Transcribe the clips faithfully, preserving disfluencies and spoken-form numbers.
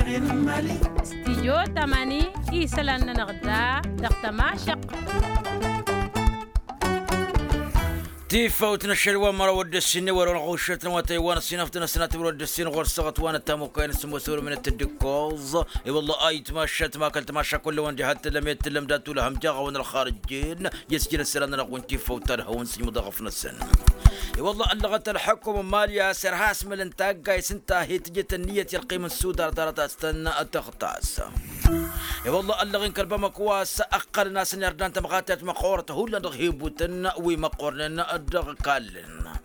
Stijyo tamani isălan-nănăɣ da dăɣ-tămašăq. Tifawt n-ašăl wa măraw ăddăssin n-ewăr wa n-ɣušăt n-wa tăywan ăssinăft n-ăssinat ewăr wa ăddăssin ɣur-săɣăt wa n-ăttamukay n-sǝmmos ewăr min-ăttăddǝkkoẓ. I-wălla ayǝtmašăt ma kăl-tamaša kull-ăwăn diha t-tǝllăm i-tǝllăm dat-ulăhăm jaɣ-awăn ălxarǝjjen. I-ăsjăr ăsălan-nănăɣ wi n-tifawt ta d-hawăn-sǝjmǝḍ aɣăf-năsăn. I-wălla ăllăɣăt ălḥăkum n-mali a-s irha asmăl n-taggayt s-ǝnta a hi-tǝjǝt ǝnniyăt i-ălqim n-sudar ḍarăt a-s tăn-tăɣtas. I-wălla ăllăɣ-in kăl-bamăko a-s ǝqqălăn a-s ǝnirdan tămɣatayt măqqoorăt hullan dăɣ-hibutăn wi măqqoornen dăɣ-kallăn.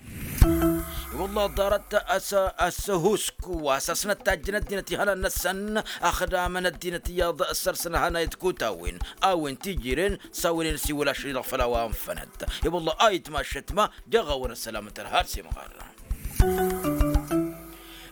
I-wălla ḍarăt a-s ăhusk wa s-ăsnăt tajjăn ăddinăt ihănan-năsăn ăxdamăn ăddinăt iyyăḍ s-ărsăn ăhănayăt kutawen a-wen tijiren s-a-wen inǝsiwǝl ašăl-i-dăɣ făll-a-wa ănfănăt. I-wălla a itmašăt ma jăɣ-awăn ăssălam n-tărha ar s-imɣar.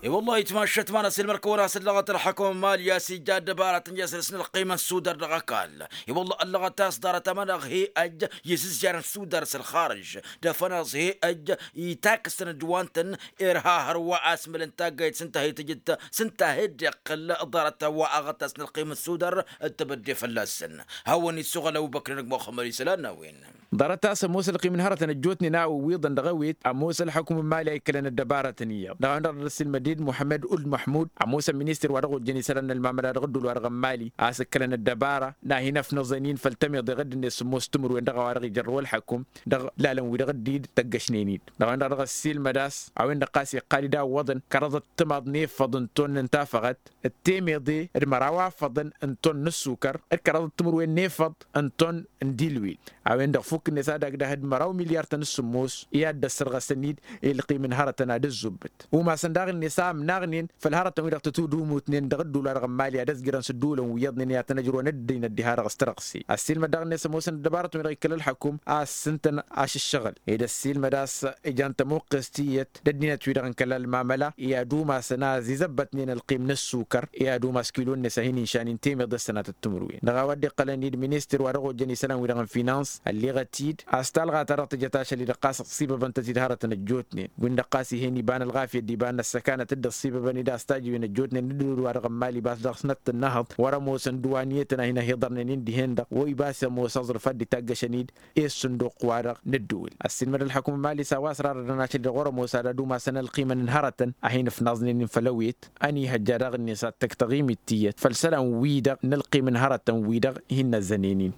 I-wălla itmašăt ma n-asǝlmăr kăwăn-as ăllăɣăt ălḥăkăm n-mali a-s ija ăddăbara tăn-jasăl s-nălqim n-sudar dăɣ-ăkall. I-wălla ăllăɣăt a-s ḍarăt amănăɣ he-ăj i-sǝzjar n-sudar s-ălxarǝž d-afănaẓ he-ăj itakǝsăn d-wa n-tăn irha hărwa asmăl n-taggayt s-ǝnta a hi-tǝjǝt s-ǝnta a hi-dd-iqqǝl ḍarăt a-wa aɣătas n-ălqim n-sudar d-tebădde fălla-săn. Hawăn-isuɣǝl ăbubăkr n-ăgg muxămmăd isălan n-a-wen. Ḍarăt a-s ămoos ălqim n-hărătăn ăjjootnen a-wen iwǝḍăn dăɣ-ewet ămoos ălḥăkum n-mali a ikklăn ăddăbarătăn iyyăḍ dăɣ-a-wen-dăɣ dd-ăssiilmăd-dd muḥămmăd ul-măḥmud ămoosăn ministăr wa dăɣ-ojjăn isălan n-ălmamăla dăɣ-ădduul-wa-dăɣ n-mali a-s ǝkkălăn ăddăbara n-ad-hin-ăfnăẓăn-in făll-tămiḍe ɣǝdd-net sǝmmos timǝrwen dăɣ-a-wa dăɣ-ijărrăw ălḥăkum dăɣ-lalăn-wi-dăɣ dd-tăggăšnen-dd. Dăɣ-a-wen-dăɣ dăɣ-ăssiilmăd a-s a-wen-dăɣ ɣas iqqal-dd a ǝwwăḍăn kăraḍăt timaḍ n-efăḍ n-ton n-tafăɣăt d-temeḍe d-măraw afăḍăn n-ton n-ăssukăr d-kăraḍăt timǝrwen n-efăḍ n-ton n-dilwil. A-wen-dăɣ fukk-net ad-agdăh d-măraw milyar-tăn s-sǝmmos i-ad-dd-ăssărɣăsăn-dd i-ălqim n-hărătăn ad-ǝzzubbǝt. Umasăn daɣ-net a ămnaɣnen făll-hărătăn-wi-dăɣ tătudumutnen dăɣ-ădduul-wa-dăɣ n-mali ad-ăzjărăn s-ǝddǝwǝlăn wi iyyăḍnen i-ad-tăn-ăjrăwăn ăddinăt diha-dăɣ s-tărɣse. Ăssiilmăd daɣ-net ămoosăn ăddăbarătăn-wi-dăɣ ikăl ălḥăkum a-s ǝntăn ašǝššăɣǝl ed ăssiilmăd a-s ijan tămuqqest tiyyăt d-ăddinăt-wi-dăɣ n-kăla ălmamăla i-ad-umasăn a ăzizăbbătnen ălqim n-ăssukăr i-ad-umas kilo-net a hin-inšanin temeḍe s-sănatăt timǝrwen. Dăɣ-a-wa dd-iqqălăn-dd ministăr wa dăɣ-ojjăn isălan-wi-dăɣ n-finans ălleɣăt-dd a-s talɣa-ta-dăɣ tǝjăt ašăl-i-dăɣ ɣas ăṣṣibăbăn-tăt-dd hărătăn ăjjootnen win-dăɣ ɣas ih'-en iba n-ălɣafyăt d-iba n-ăssăkanăt dd-ăṣṣibăbăn-dd a-s tajǝwen ăjjootnen n-ǝddǝwǝl wa dăɣ-n mali ibas dăɣ-snăt n-inăhăḍ wăr-ămoosăn dǝwaniyătăn a hin-ăhiḍărnen-in dihen-dăɣ wa ibas ămoos aẓrǝf ad-dd-itaggăšăn-dd i-ǝssǝnduq-wa-dăɣ n-ǝddǝwǝl. Ăssiilmăd ălḥăkum n-mali s-a-wa ăsrarădăn ašăl-i-dăɣ wăr-ămoos ad-ad-umasăn ălqimăn n-hărătăn a hin-ǝfnaẓnen-in făll-ăwet. Ăniihăjja daɣ-net ad-tăkk taɣimit tiyyăt făll-isălan-wi-dăɣ n-ălqim n-hărătăn-wi-dăɣ hin-năzzănen-in.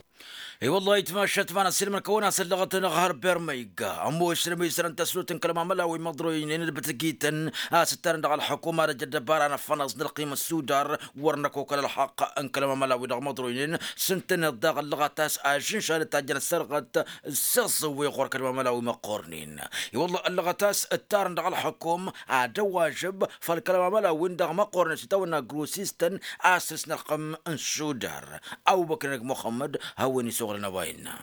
I-wăllah itmašăt ma n-ăssiilmăd-kăwăn a-s ăllăɣăt-nănăɣ har bermăyga ămoosăn ămisărăn tăslut n-kăl-mamăla wi măḍroynen d-bǝtǝkităn a-s ǝttarăn dăɣ-ălḥăkum ad-ăj ăddăbara n-ăffănaẓ n-ălqim n-sudar. Wăr năkokăl ălxaqq n-kăl-mamăla wi dăɣ-măḍroynen s-ǝntăneḍ daɣ ăllăɣăt a-s ažǝnšal ǝtajjăn ăssărɣăt s-iẓẓǝwwe ɣur-kăl-mamăla wi măqqornen. I-wăllah ăllăɣăt a-s ǝttarăn dăɣ-ălxăkum ad-ăwažăb făll-kăl-mamăla-win-dăɣ măqqornen s-itawănna grosistăn a-s ǝsnălxăm n-sudar. Ăbubăkr-năk muxămmăd hawăn-isuɣǝl n-a-wa innă.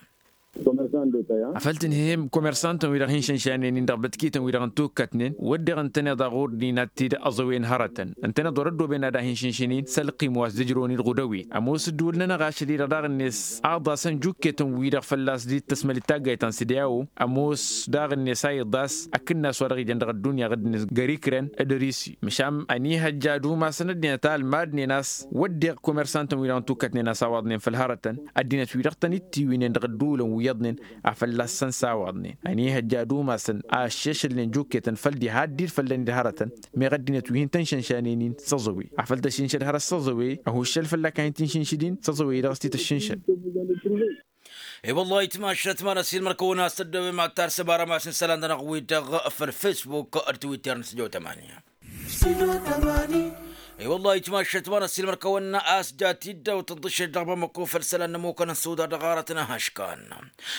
Afăl tǝnhǝyăm komersantăn-wi-dăɣ hin-šănšanen-in dăɣ-bătkităn-wi-dăɣ n-tukkătnen wădden ǝntăneḍ a ɣur-dd-inat-t-dd ăẓăwen hărătăn ǝntăneḍ wăr-ăddooben ad-ahin-šǝnšǝn-in s-ălqim wa s-dd-ǝjrăwăn-dd ɣudăwen. Ămoos ǝddǝwǝl-nănăɣ ašăl-i-dăɣ daɣ-net aḍasăn jukketăn-wi-dăɣ fălla-s dd-tăsmăl d-taggayt ta n-sǝdyawo ămoos daɣ-net a iḍas akǝnnas wa dăɣ-ijăn dăɣ-ăddunya ɣǝdd-net găr-ikrăn d-risi măšan ăniihăjja ad-umasăn ăddinăt a ălmadnen a-s wădden komersantăn-wi-dăɣ n-tukkătnen a-s a waḍnen făll-hărătăn ăddinăt-wi-dăɣ tăn-dd-tiwǝynen dăɣ-ădduulăn wi iyyăḍnen a fălla-săn s-a waḍnen ăniihăjja ad-umasăn a ăššešălnen jukketăn făll-diha dd-irfăllăn-dd hărătăn. Meɣ ăddinăt wi hin-tăn-šănšanen-in s-aẓăwe afăl tăššǝnšăd hărăt s-aẓăwe ăhuššăl fălla-k a hin-tǝnšǝnšǝd-in s-aẓăwe-i-dăɣ s-titǝššǝnšăd. I-wăllah itmašăt ma n-ăssiilmăr-kăwăn a-s tăddăwem ad-tarsăm arămas n-isălan-nănăɣ wi-dăɣ făll-facebook d-twitter n-studio tamanya. I-wăllah itmašăt ma n-ăssiilmăr-kăwăn a-s ja tiddawt tǝḍǝššet dăɣ-bamăko făll-isălan n-ămmukăn n-sudar dăɣ-arăt n-ahăškan.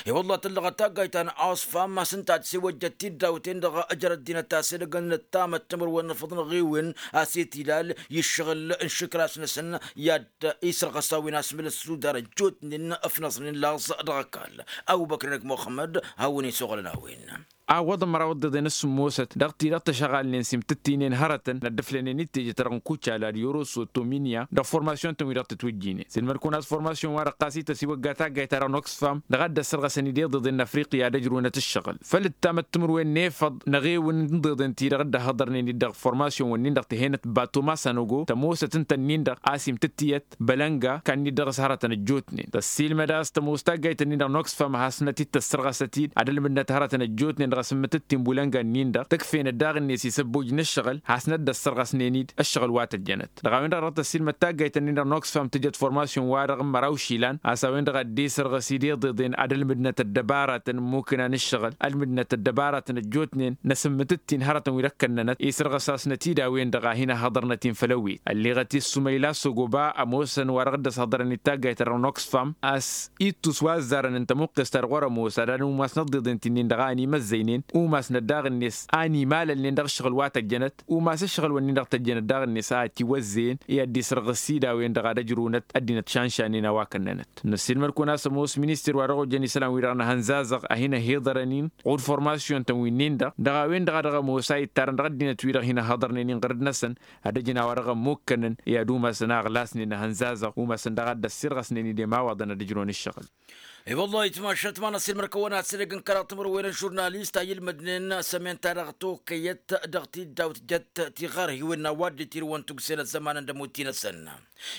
I-wăllah tǝllăɣăt taggayt ta n-osfam a-s ǝnta ad-sewăjjăt tiddawt-en-dăɣ ǝjrăd dinăt a-s edăgg n-ǝttamăt timǝrwen n-afăḍ n-aɣiwen a-s i-tilal i-ǝššăɣǝl n-išǝkras-năsăn i-ad-isărɣăs a-wen asmǝl n-sudar ăjjootnen ăfnăẓnen laẓ dăɣ-ăkall. Ăbubăkr-năk muxămmăd hawăn-isuɣǝlăn a-wen. a ǝwwăḍăn măraw ǝḍḍeḍen s-sǝmmosăt dăɣ-ti-dăɣ tăšăɣalnen s-imtǝttinen hărătăn n-ad-dd-ǝflănen d-teje-ta-dăɣ n-kucala d-yoroso tominiya dăɣ-formasyon-tăn-wi-dăɣ tǝtwǝjjinen s-ilmăd-kăwăn a-s formasyon wa-dăɣ ɣas ităs iwăgga taggayt-ta-dăɣ n-oxfam dăɣ-a dd-ăssărɣăsăn-dd iḍeḍen n-afriqya d-ăjrǝwnăt ǝššăɣǝl făl ǝttamăt timǝrwen n-efăḍ n-eɣewǝn n-iḍeḍen-ti-dăɣ dd-ăhhăḍărnen-dd dăɣ-formasyon-wǝnnin-dăɣ tihăynăt bato masanogo tămoosăt ǝnta-nin-dăɣ a-s imtǝttǝyăt bălănga kannit dăɣ-s hărătăn ăjjootnen tăssiilmăd a-s tămoos taggayt-nin-dăɣ n-oxfam hasnăt-dd-tăssărɣăsăt-dd ad-ălmǝdnăt hărătăn ăjjootnen dăɣ-asǝmmǝtǝttin bulănga-nin-dăɣ tǝkfenăt daɣ-net isăbboj n-ǝššăɣǝl hasnăt-dd-ăssărɣăsnen-dd ǝššăɣǝl wa tăjjănăt dăɣ-a-wen-dăɣ dăɣ-tăssiilmăd taggayt-nin-dăɣ n-oxfam tǝjăt formasyon-wa-dăɣ n-măraw išilan a-s a-wen-dăɣ a dd-esărɣăs-dd iḍeḍen ad-ălmǝdnăt ăddăbaratăn n-imukǝna n-ǝššăɣǝl ălmǝdnăt ăddăbaratăn ăjjootnen n-asǝmmǝtǝttin hărătăn wi dăɣ-kănnănăt esărɣăs-asnăt-dd a-wen-dăɣ a hin-ăhhăḍărnăt-in făll-ăwwet ălleɣăt-i s-sumăyla s-ogoba ămoosăn wa dăɣ-dd-ăshăḍrăn-dd taggayt-ta-dăɣ n-oxfam a-s ittus wa ăzzarăn n-tămuqqes-ta-dăɣ wăr-ămoos ad-ănumas n-ăḍḍeḍen ti-nin-dăɣ a ănimăzzăynen umasnăt daɣ-net a ănimalălnen dăɣ-ǝššăɣǝl wa tăjjănăt umas ǝššăɣǝl-wǝnnin-dăɣ tăjjănăt daɣ-net a ătiwăzzăyăn i-ad-dd-isrăɣ s-id a-wen-dăɣ ad-ăjrǝwnăt ăddinăt šanšanen a-wa kănnănăt. Năssiilmăd-kăwăn a-s ămoos minister wa dăɣ-ojăn isălan-wi-dăɣ n-ahănzazăɣ a hin-ăhiḍărăn-in ɣud formasyon-tăn wi-nin-dăɣ dăɣ-a-wen-dăɣ a dăɣ-ămoos a ittarăn dăɣ-ăddinăt-wi-dăɣ hin-ăhhăḍărnen-in ɣǝrǝd-năsăn ad-ăjǝn a-wa dăɣ-ămmukkănăn i-ad-umasăn a ăɣlasnen ahănzazăɣ umasăn daɣ a dd-ăssirɣăsnen-dd i-imawaḍăn ad-ǝjrǝwăn ǝššăɣǝl. I-wălla-hi tmašat ma n-ăssiilmăd-kăwăn a-s edăgg n-kăraḍ timǝrwen n-žurnalist a ilmădnen s-emen-ta-dăɣ tokăyăt dăɣ-tiddawt jăt tiɣărhiwen n-a-wa dd-itirǝwăn tugse n-ăzzăman n-dămotti-năsăn.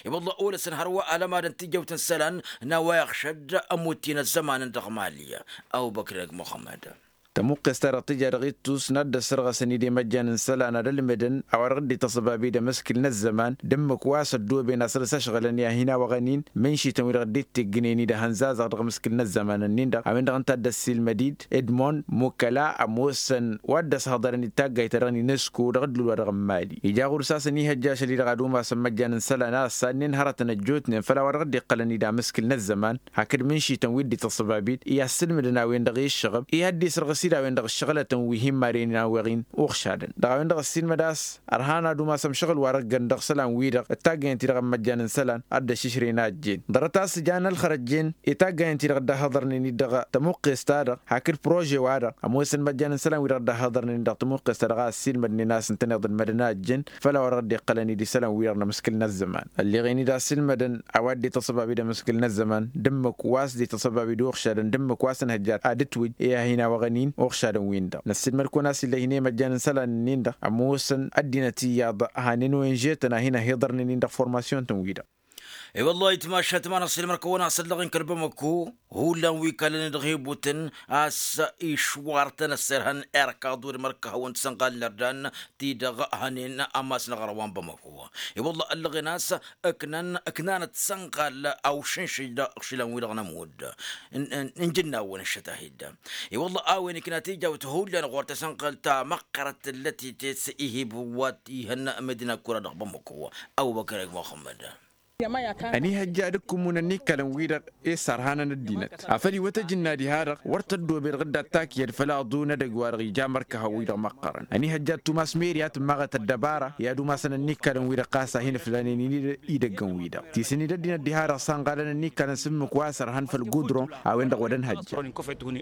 I-wălla-hi olăsăn hărwa alămadăn tijăwt n-isălan n-a-wa iɣšăd ămotti n-ăzzăman n-dăɣ-mali. Ăbubăkr-eg muxămmăd. Tămuqqes-ta-dăɣ tǝja dăɣ-ittus n-ad-dd-ăssărɣăsăn-dd i-măjjan n-isălan ad-ălmǝdăn a-wa dăɣ-dd-ităṣăbab-dd amǝskǝl n-ăzzăman d-ǝmmǝk wa s-ăddoben asăl s-ăšɣǝlăn i-ad-hin-awăɣăn-in mǝnšităn wi-dăɣ dd-ittiggǝnen-dd ahănzazăɣ dăɣ-amǝskǝl n-ăzzăman-nin-dăɣ a-wen-dăɣ ǝnta a dd-ăssiilmăd-dd edmond mukăla ămoosăn wa dd-ăshăḍărăn d-taggayt-ta-dăɣ n-inesko dăɣ-ǝddǝl-wa-dăɣ n-mali ija ɣur-s a-s ăniihăjja ašăl-i-dăɣ ad-umasăn măjjan n-isălan a ăssannen hărătăn ăjjootnen făll-a-wa dăɣ-dd-iqqălăn-dd amǝskǝl n-ăzzăman hakd mǝnšităn wi dd-ităṣṣăbab-dd i-ad-sǝlmǝdăn a-wen-dăɣ i-ǝššăɣǝb i-ad-dd-isrăɣǝs-dd a-wen-dăɣ ǝššăɣǝlătăn wi hin-marăynen a-weɣ-in uɣšadăn dăɣ-a-wen-dăɣ ăssiilmăd a-s ărhan ad-umas ămšăɣǝl-wa-dăɣ ǝggăn dăɣ-isălan-wi-dăɣ d-taggayăn-ti-dăɣ n-măjjan n-isălan ad-dd-ăššǝšrăyăn a ăjjeen ḍarăt a-s ǝjan ălxărăt jen i-taggayăn-ti-dăɣ dd-ăhhăḍărnen-dd dăɣ-tămuqqest-ta-dăɣ hakd prože-wa-dăɣ ămoosăn măjjan n-isălan-wi-dăɣ dd-ăhhăḍărnen-dd dăɣ-tămuqqest-ta-dăɣ a ăssiilmădnen a-s ǝntăneḍ ǝlmădăn a ăjjeen făll-a-wa dăɣ-dd-iqqălăn-dd isălan-wi-dăɣ n-amǝskǝl n-ăzzăman ălleɣen-dd a ăssiilmădăn a-wa dd-ităṣṣăbab-dd amǝskǝl n-ăzzăman d-ǝmmǝk wa s-dd-ităṣṣăbab-dd uɣšadăn d-ǝmmǝk wa s-ănhăjja ad-ǝtwǝj i-ad-hin-awăɣăn-in uɣšadăn-win-dăɣ năssiilmăd-kăwăn a-s ill'-e hin-e măjjan n-isălan-nin-dăɣ ămoosăn ăddinăt iyyăḍ hanen oyenže-tăn a hin-ăhiḍărnen-in dăɣ-formasyon-tăn-wi-dăɣ. I-wăllah itmašat ma n-ăṣṣilmăr-kăwăn a-s ăllăɣ-in kăl-bamăko hullan wi kălăn-dd-ɣibutăn a-s išwar-tăn ăssirhăn irkaḍ wăr mărkăhăwăn tisănɣal n-irdan ti-dăɣ hănen amas n-aɣrăw wa n-bamăko. I-wăllah ăllăɣen a-s ǝknan ǝknanăt tisănɣal a ušǝnšǝj dăɣ-iɣšǝlan-wi-dăɣ n-ămudd n-ijǝnnawăn ǝššăt-ahi-dd. I-wăllah a-wen ikna tijawt hullan ɣur-tasănɣalt ta măqqărăt tǝllăt-i tets ihib wa t-ihăn medina kura dăɣ-bamăko. Ăbubăkăr eg muxămmăd. Ănihăjja ad-ǝkǝmmun ănnikkalăn-wi-dăɣ i-sărhanăn ăddinăt afăl iwăt ajǝnna diha-dăɣ wăr tăddoobed ɣǝdda t-takyăd făll-aḍu n-edăgg-wa-dăɣ ija mărkăhăn-wi-dăɣ măqqărăn. Ănihăjja ad-tumas meri a tǝmmaɣăt ăddăbara i-ad-umasăn ănnikkalăn-wi-dăɣ ɣas a hin-ǝflanen-dd idăggăn-wi-dăɣ tisǝnnǝy d-ăddinăt diha-dăɣ sănɣalăn ănnikkalăn s-ǝmmǝk wa sărhăn făll-gudron a-wen-dăɣ wăr ănhăjja.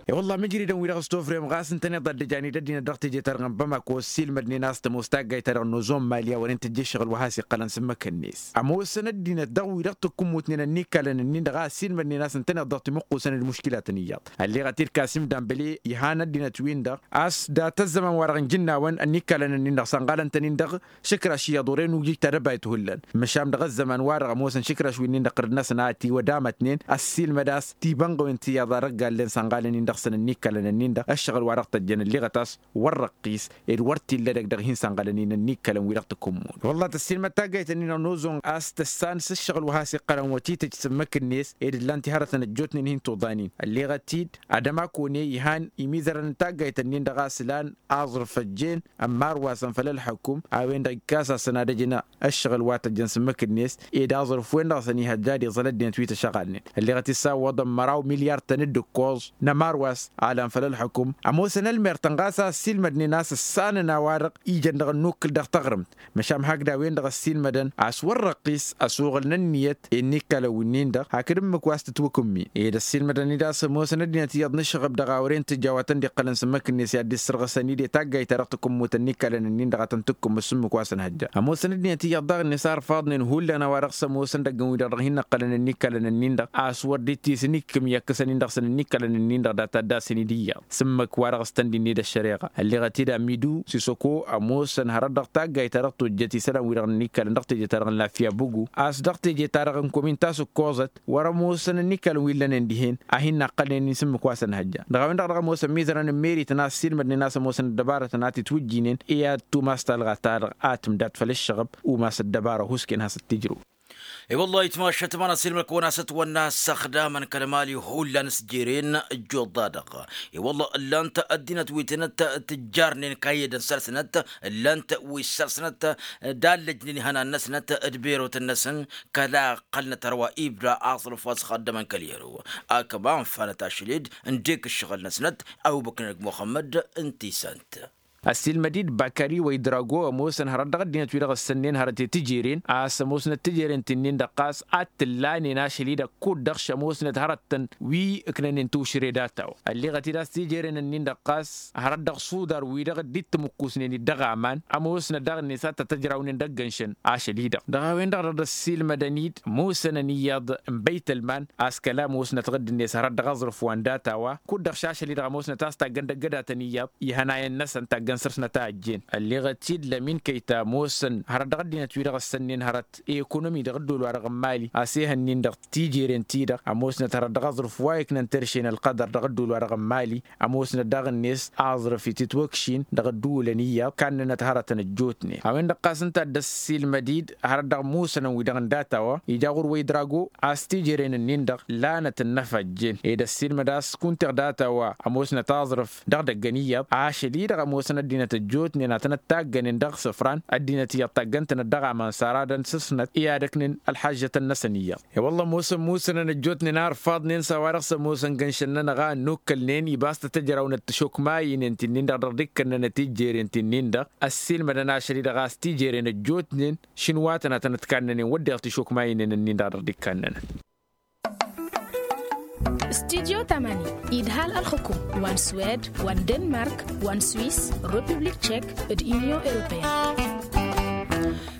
I-wălla mǝjridăn-wi-dăɣ s-tofrem ɣas ǝntăneḍ a dd-ăjan-dd ăddinăt dăɣ-teje-ta-dăɣ n-bamako ăssiilmădnen a-s tămoos taggayt-ta-dăɣ n-ozon mali a wăren tăjja ǝššăɣǝl wa has-iqqălăn s-ǝmmǝk-net ămoosăn ăddinăt dăɣ-wi-dăɣ tǝkkǝmmutnen ănnikkalăn-nin-dăɣ a ăssiilmădnen a-s ǝntăneḍ-dăɣ timǝqqusăn d-muškilatăn iyyăḍ. Ălleɣăt-dd kasim dambăle ihan ăddinăt-win-dăɣ a-s dat-ăzzăman-wa-dăɣ n-ijǝnnawăn ănnikkalăn-nin-dăɣ sănɣalăn-tăn-in dăɣ-išǝkraš iyyăḍ wăren ujǝj tadăbayt hullan. Măšan dăɣ-ăzzăman-wa-dăɣ ămoosăn išǝkraš wi-nin-dăɣ ɣǝrǝd-năsăn a ătiwădamătnen ăssiilmăd a-s tibănɣăwen ti iyyăḍ a dăgg-allen sănɣalăn-in dăɣ-săn ănnikkalăn-nin-dăɣ ǝššăɣǝl wa dăɣ-tăjjăn ălleɣăt a-s wăr răqqis ed wăr t-illa edăgg dăɣ-hin-sănɣalăn-in ănnikkalăn-wi-dăɣ tǝkǝmmun. Wălla tăssiilmăd taggayt-nin-dăɣ n-ozon a-s tăssan s-ǝššăɣǝl wa has-iqqărăn wăr t-tǝj s-ǝmmǝk-net ed ǝllan tiharătăn ăjjootnen hin-tuḍanin. Ălleɣăt-dd ad-ămakone ihan imizărăn n-taggayt-nin-dăɣ a-s ǝlan aẓrǝf ăjjeen ămmarwasăn făll-ălḥăkum a-wen-dăɣ ikkas-asăn ad-ăjǝn ǝššăɣǝl wa tăjjăn s-ǝmmǝk-net ed aẓrǝf-wen-dăɣ a-s ănihăjja ad-iẓăl ăddinăt wi tăšăɣalnen. Ălleɣăt-dd s-a ǝwwăḍăn măraw milyar-tăn d-ǝkkoẓ n-ămarwas a lan făll-ălḥăkum ămoosăn ălmer-tăn ɣas a ăssiilmădnen a-s ǝssanăn a-wa-dăɣ ijăn dăɣ-ănnukkǝl dăɣ-taɣrǝmt. Măšan hakd a-wen-dăɣ ăssiilmădăn a-s wăr răqqis ăsuɣǝl n-ǝnniyăt i-ănnikkalăn wi-nin-dăɣ hakd ǝmmǝk wa s-tǝtwǝkǝmmin. Ed ăssiilmădăn-dd a-s ămoosăn ăddinăt iyyăḍ n-ǝššăɣăb dăɣ-awăren tǝjjaw a tăn-dd-iqqălăn s-ǝmmǝk-net i-ad-dd-issărɣǝsăn-dd i-taggayt-ta-dăɣ tǝkǝmmut ănnikkalăn-ǝnnin-dăɣ a tăn-tǝkkǝmmǝt s-ǝmmǝk wa s-ănhăjja. Ămoosăn ăddinăt iyyăḍ daɣ-net a ărfaḍnen hullan a-wa dăɣ-s ămoosăn idăggăn-wi-dăɣ dăɣ-hin-ǝqqălăn ănnikkalăn-ǝnnin-dăɣ a-s wăr dd-tisǝnikkǝm i-ăkkăsăn-in dăɣ-săn ănnikkalăn-ǝnnin-dăɣ data dd-asăn-dd iyyăḍ s-ǝmmǝk wa dăɣ-s tăn-dd-inned ăššăreɣa. Ălleɣăt-dd amidu sisăko ămoosăn hărăt dăɣ-taggayt-ta-dăɣ tojjăt isălan-wi-dăɣ n-ănnikkălăn dăɣ-teje-ta-dăɣ n-lafya bǝgu a-s dăɣ-teje-ta-dăɣ n-komin ta s-ǝkkoẓăt wăr-ămoosăn ănnikkălăn wi ǝllănen dihen a hin-naqqălnen-in s-ǝmmǝk wa s-ănhăjja. Dăɣ-a-wen-dăɣ dăɣ-ămoosăn imizărăn n-meri-tăn a ăssiilmădnen a-s ămoosăn ăddăbarătăn a titwǝjjinen i-ad-tumas talɣa-ta-dăɣ a tǝmdad făll-ǝššăɣăb umas ăddăbară husken has-ăttijrǝw. I-wăllah itmašat ma n-asilmăl kăwăn-asăt wănna s-ăxdamăn kăl-mali hullan s-jeren ǝjjuḍ-da-dăɣ. I-wăllah ǝllan-t ăddinăt wi tǝnăt tǝjjarnen kayădăn săr-snăt ǝllan-t wi săr-snăt d-allăjnen ihănan-năsnăt d-berotăn-năsăn kăla ăqqălnăt hărwa ibda aẓrǝf wa s-ăxaddămăn kăl-iru. Akăman fanăt ašăl-dd ǝndek ǝššăɣǝl-năsnăt awǝbăknăn g-muxămmăd n-tisant. Ăssiilmăd-dd bakări wa idrago ămoosăn hărăt dăɣ-ăddinăt wi-dăɣ ǝssănnen hărăt i-tijeren a-s ămoosnăt tijeren ti-nin-dăɣ ɣas ad-t-ǝllanen ašăl-i-dăɣ kud-dăɣ š-ămoosnăt hărăt-tăn wi ǝknănen tiwšǝre data-wa. Ălleɣăt-dd a-s tijeren-ǝnnin-dăɣ ɣas hărăt dăɣ-sudar wi-dăɣ dd-tǝmǝkkusnen-dd dăɣ-aman ămoosnăt daɣ-net ad-tăt-ăjrawnen d-ăggănšăn ašăl-i-dăɣ. Dăɣ-a-wen-dăɣ dăr-ăssiilmădăn-dd ămoosănăn iyyăḍ n-băytălman a-s kăla ămoosnăt ɣǝdd-net hărăt dăɣ-aẓrǝf wa n-data-wa kud-dăɣ šašăl-i-dăɣ ămoosnăt a-s taggăn d-ăggădatăn iyyăḍ ihănayăn-năsăn taggăn săr-snăt a ăjjeen. Ălleɣăt-dd lămin kăyta ămoosăn hărăt dăɣ-ăddinăt wi-dăɣ ǝssănnen hărăt i-ekonomi dăɣ-ădduul-wa-dăɣ n-mali a-s ehăn-in-dăɣ tijeren-ti-dăɣ ămoosnăt hărăt dăɣ-aẓrǝf wa iknăn terše n-ălqădăr dăɣ-ădduul-wa-dăɣ n-mali. Ămoosnăt daɣ-net aẓrǝf itǝtwăkšin dăɣ-ădduulăn iyyăḍ kannănăt hărătăn ăjjootnen a-wen-dăɣ ɣas ǝnta a dd-ăssiilmăd-dd hărăt dăɣ-musănăn wi-dăɣ n-data-wa ija ɣur-wa idrago a-s tijeren-ǝnnin-dăɣ lanăt ǝnnăfăjjen ed ăssiilmăd a-s kunta data-wa ămoosnăt aẓrǝf dăɣ-idăggăn iyyăḍ ašăl-i-dăɣ ămoosăn ăddinăt ăjjootnen ad-tănăt-taggănen dăɣ-isǝfran ăddinăt iyyăḍ taggăn-tănăt dăɣ-aman săr-adăn s-ǝsnăt i-ad-ǝknen ălḥăžžătăn-năsăn iyyăḍ. I-wălla ămoosăn musănăn ăjjootnen a ărfaḍnen s-a-wa-dăɣ s-ămoosăn gănšăn-nănăɣ a ănnukkălnen ibas tăt-ăjrawnăt tišokmaynen ti-nin-dăɣ dăɣ-dd-ikkănnănăt tijeren ti-nin-dăɣ ăssiilmădăn ašăl-i-dăɣ a-s tijeren ăjjootnen šǝnwa-tăn ad-tănăt-kannănen wădden tišokmaynen-nin-dăɣ dăɣ-dd-ikkănnănăt. Studyo tamani idhal ălxǝkum wa n-swed wa n-denmark wa n-swiss, republik tšek d-inyon europeyăn.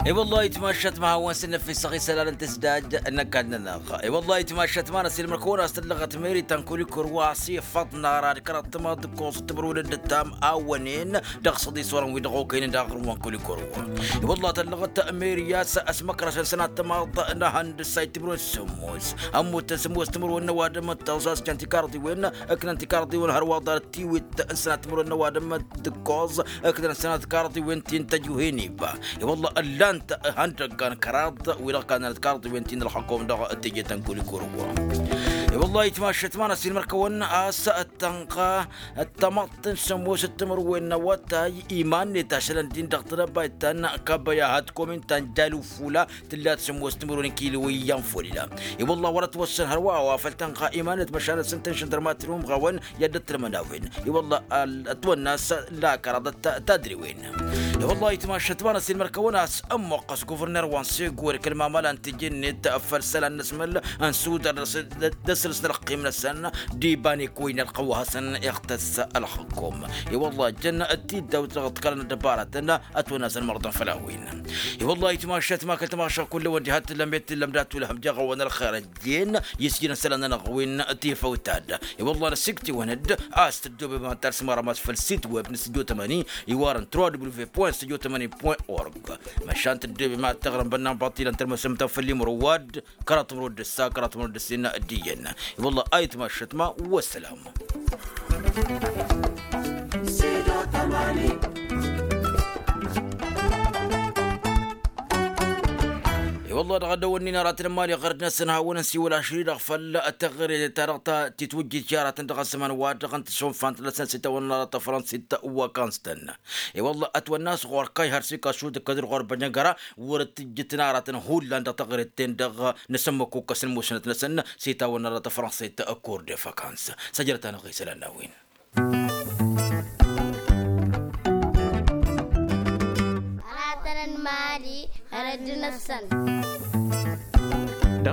I-wăllah itmašat ma hawăn s-năfisăɣ isălan n-tǝsdaj n-ăkall-nănăɣ. I-wăllah itmašat ma n-asilmăr kăwăn-as tǝllăɣăt meri ta n-kulikor wa s-ifăḍ n-ara d-kăraḍ tămaḍ d-ǝkkoẓ d-timǝrwen d-ǝttam a wănen dăɣ-săḍis orăn wi dăɣ-okăynen daɣ ɣur-wa n-kulikor wa. I-wăllah tăllăɣăt meri a-s ăsmăkrăšăn sănat tămaḍ n-ehăndǝs a itimǝrwen s-sǝmmos ămmutăn sǝmmos timǝrwen n-ăwadǝm d-tăẓas jăn tikarḍiwen ǝknăn tikarḍiwen hărwa ḍarăt tiwit n-sănat timǝrwen n-ăwadǝm d-ǝkkoẓ ǝknăn sănat tikarḍiwen ti n-tăjuhen iba. I-wălla ǝllan-t ihăndăggan kăraḍ wi-dăɣ kannăn tikarḍiwen ti n-ălxăkom dăɣ-teje ta n-kulikor wa. I-wălla itmašăt ma n-asilmăr kăwăn a-s tănɣa d-tamăḍt n-sămoos d-timǝrwen n-awătay iman-net ašălăn din dăɣ-tănăbayt ta n-kabăya had-komin ta n-jalufula tǝllat sămoos timǝrwen n-kiliwen iyyăn folila. I-wălla wăr-ătwăssăn hărwa a-wa făl tănɣa iman-net măšan ăssăn tăn-šăndărmat n-umɣawăn i-ad-dd-ătrǝmăn a-wen. I-wălla ătwănna a-s lakăraḍăt tadriwen. I-wălla itmašăt ma n-asilmăr kăwăn a-s ămmoqqăs guvărner wa n-segori kăl-mamăla n-tijǝnnet făll-isălan n-asmăl n-sudar d-asǝlǝs n-ălqim-năsăn d-ibanek wa inălqăw wa hasăn-iɣtăs ălxǝkkum. I-wălla jăn tiddawt dăɣ-t kăla n-ăddăbarătăn ătwănna a-s ănmărḍăn făll-a-wen. I-wălla itmašăt ma kăl-tămašăɣ kull-ăwăn diha t-tǝllăm i-t-tǝllăm dat-wăl-hăm jaɣ-awăn ălxer ăjjeen i-s jăn isălan-nănăɣ wi n-tifăwt ta-dd. I-wălla năsikt'-iwăn-dd a-s tǝddoobem ad-tarsǝm arămas făll-sit web n-studio tămani iwarăn trois w point studio tămani point org. Măšan tǝddoobem ad-taɣrǝm bănnan baṭṭilăn tărmăsăm ta făll-imrǝwad kăraḍ timrǝwăd d-ǝssa kăraḍ timrǝwăd d-ǝssin d-iyyăn. I-wălla a itmašăt ma wăssălam. I-wălla dăɣ-ăddăwănnin aratăn n-imali ɣărd-năsăn hawăn-ănsiwăl ašri-dăɣ făll-teɣăre-ta-dăɣ titwǝjjit i-aratăn dăɣ-ăzzăman wa dăɣ-tăn-tǝsonfant-năsăn s-itawănna aratăn fărănsit wa kăns-tăn. I-wălla ătwănna a-s ɣur-kayhăr s-ikašud d-kădr ɣur-bănjăngăra wăr-dd-tǝjjǝtăn aratăn hullan dăɣ-teɣăret-ten-dăɣ n-asǝmmăkukăs n-musnăt-năsăn s-itawănna aratăn fărănsit kur de fakans. Săjdăt-anăɣ isălan n-a-wen. Aratăn n-imali hărăt d-năssăn.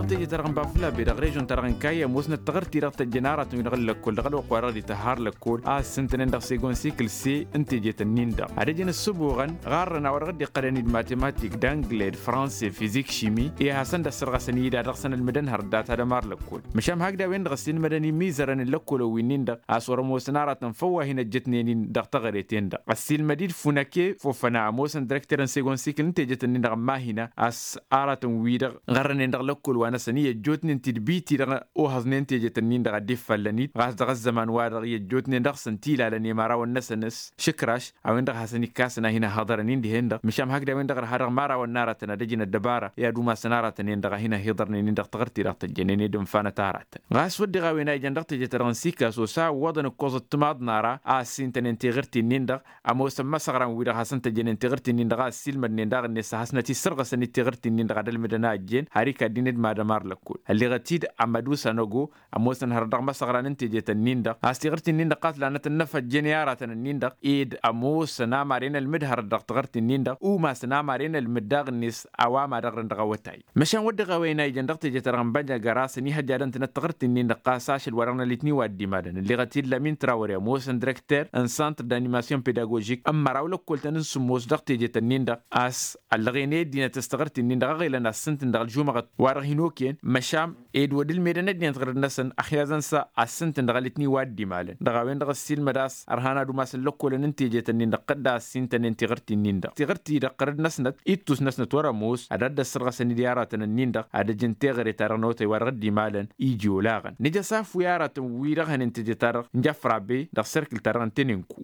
Teje-ta-dăɣ n-bafla be dăɣ-režon-ta-dăɣ n-kayya ămoosnăt taɣărti-dăɣ tăjjăn aratăn-wi-dăɣ n-lăkkol dăɣ-ălwăqq-wa-dăɣ dd-ităhhar lăkkol a ǝssǝntănen dăɣ-segon sikǝl se n-teje-tăn-in-dăɣ ad-ăjǝn ǝssǝbuɣăn ɣarrăn a-wa dăɣ-dd-iqqălăn-dd matematik d-angle d-franse fizik šimi i-ad-hasăn-dd-ăssărɣăsăn-dd ad-dăɣ-săn ălmǝdăn hărăt data d-ămar lăkkol. Măšan hakd a-wen-dăɣ ăssiilmădăn imizărăn n-lăkkol-wi-nin-dăɣ a-s wăr-ămoosăn aratăn făw wa hin-ăjjătnen-in dăɣ-teɣăre-ten-dăɣ ăssiilmăd-dd funăke fofăna ămoosăn direkter n-segon sikǝl n-teje-tăn-in-dăɣ n-mahina a-s aratăn-wi-dăɣ ɣărrănen dăɣ-lăkkol-wa-năsăn i-ăjjootnen tidbit-i-dăɣ ohăẓnen teje-tăn-in-dăɣ a dd-iffallăn-dd ɣas dăɣ-ăzzăman-wa-dăɣ i-ăjjootnen dăɣ-săn tilalăn i-imărawăn-năsăn s-išǝkraš a-wen-dăɣ hasăn-ikkasăn a hin-ăhhăḍărăn-in dihen-dăɣ măšan hakd a-wen-dăɣ ărha dăɣ-imărawăn n-aratăn ad-ăjǝn ăddăbara i-ad-umasăn aratăn-en-dăɣ a hin-ăhhiḍărnen-in dăɣ-taɣărti-dăɣ tăjjănen ed ǝnfanăt aratăn. Ɣas wădden a-wen a ijăn dăɣ-teje-ta-dăɣ n-sikaso s-a ǝwwăḍăn ǝkkoẓăt timaḍ n-ara a ăssintănen teɣǝrti-nin-dăɣ ămoosăn imăsăɣran-wi-dăɣ hasăn-tăjjănen teɣǝrti-nin-dăɣ a ăssiilmădnen daɣ-net s-ad-hasnăt-issărɣăsăn d-teɣǝrti-nin-dăɣ ad-ălmǝdăn a ăjjeen har ikadden d-madam ar lăkkol ălleɣăt-dd amădusa năgo ămoosăn hărăt dăɣ-imăsăɣran n-teje-tăn-in-dăɣ a-s teɣǝrti-nin-dăɣ ɣas lanăt ănnăfăjjăn i-aratăn-nin-dăɣ ed ămoosăn amaren ălmǝd hărăt dăɣ-teɣǝrti-nin-dăɣ umasăn amaren ălmǝd daɣ-net a-wa mad-ăɣrǝn dăɣ-awătay. Măšan wădden a-wen a ijăn dăɣ-teje-ta-dăɣ n-bănjăgăra s-ănihăjjadăn-tǝnăt taɣǝrti-nin-dăɣ ɣas ašăl wa dăɣ-nălitni wa dd-imalăn ălleɣăt-dd lamin trawăre ămoosăn direkter n-santr d-animasyon pedagožik n-măraw lăkkol-tăn n-sǝmmos dăɣ-teje-tăn-in-dăɣ a-s ăllăɣen i-ăddinăt s-taɣǝrti-nin-dăɣ a ɣelăn assǝntǝn dăɣ-ălžumăɣăt wa dăɣ-hin-okăyăn măšan ed wăr dd-ălmedăn ăddinăt ɣărăd-năsăn ăxyaẓăn s-assǝntǝn dăɣ-ălitni wa dd-imalăn dăɣ-a-wen-dăɣ ăssiilmăd a-s ărhan ad-umasăn lăkkolăn n-teje-tăn-in-dăɣ tădda ăssintănen tiɣǝrt-in-dăɣ tiɣǝrt-i-dăɣ ɣărăd-năsnăt ittus-năsnăt wăr-ămoos ad-dd-ăssărɣăsăn-dd i-aratăn-ǝnnin-dăɣ ad-ăjǝn teɣăre-ta-dăɣ n-awătay wa dăɣ-dd-imalăn iji olaɣăn nǝja s-afǝw i-aratăn-wi-dăɣ hănen teje-ta-dăɣ n-jăfrabe dăɣ-serkǝl-ta-dăɣ n-tenenku.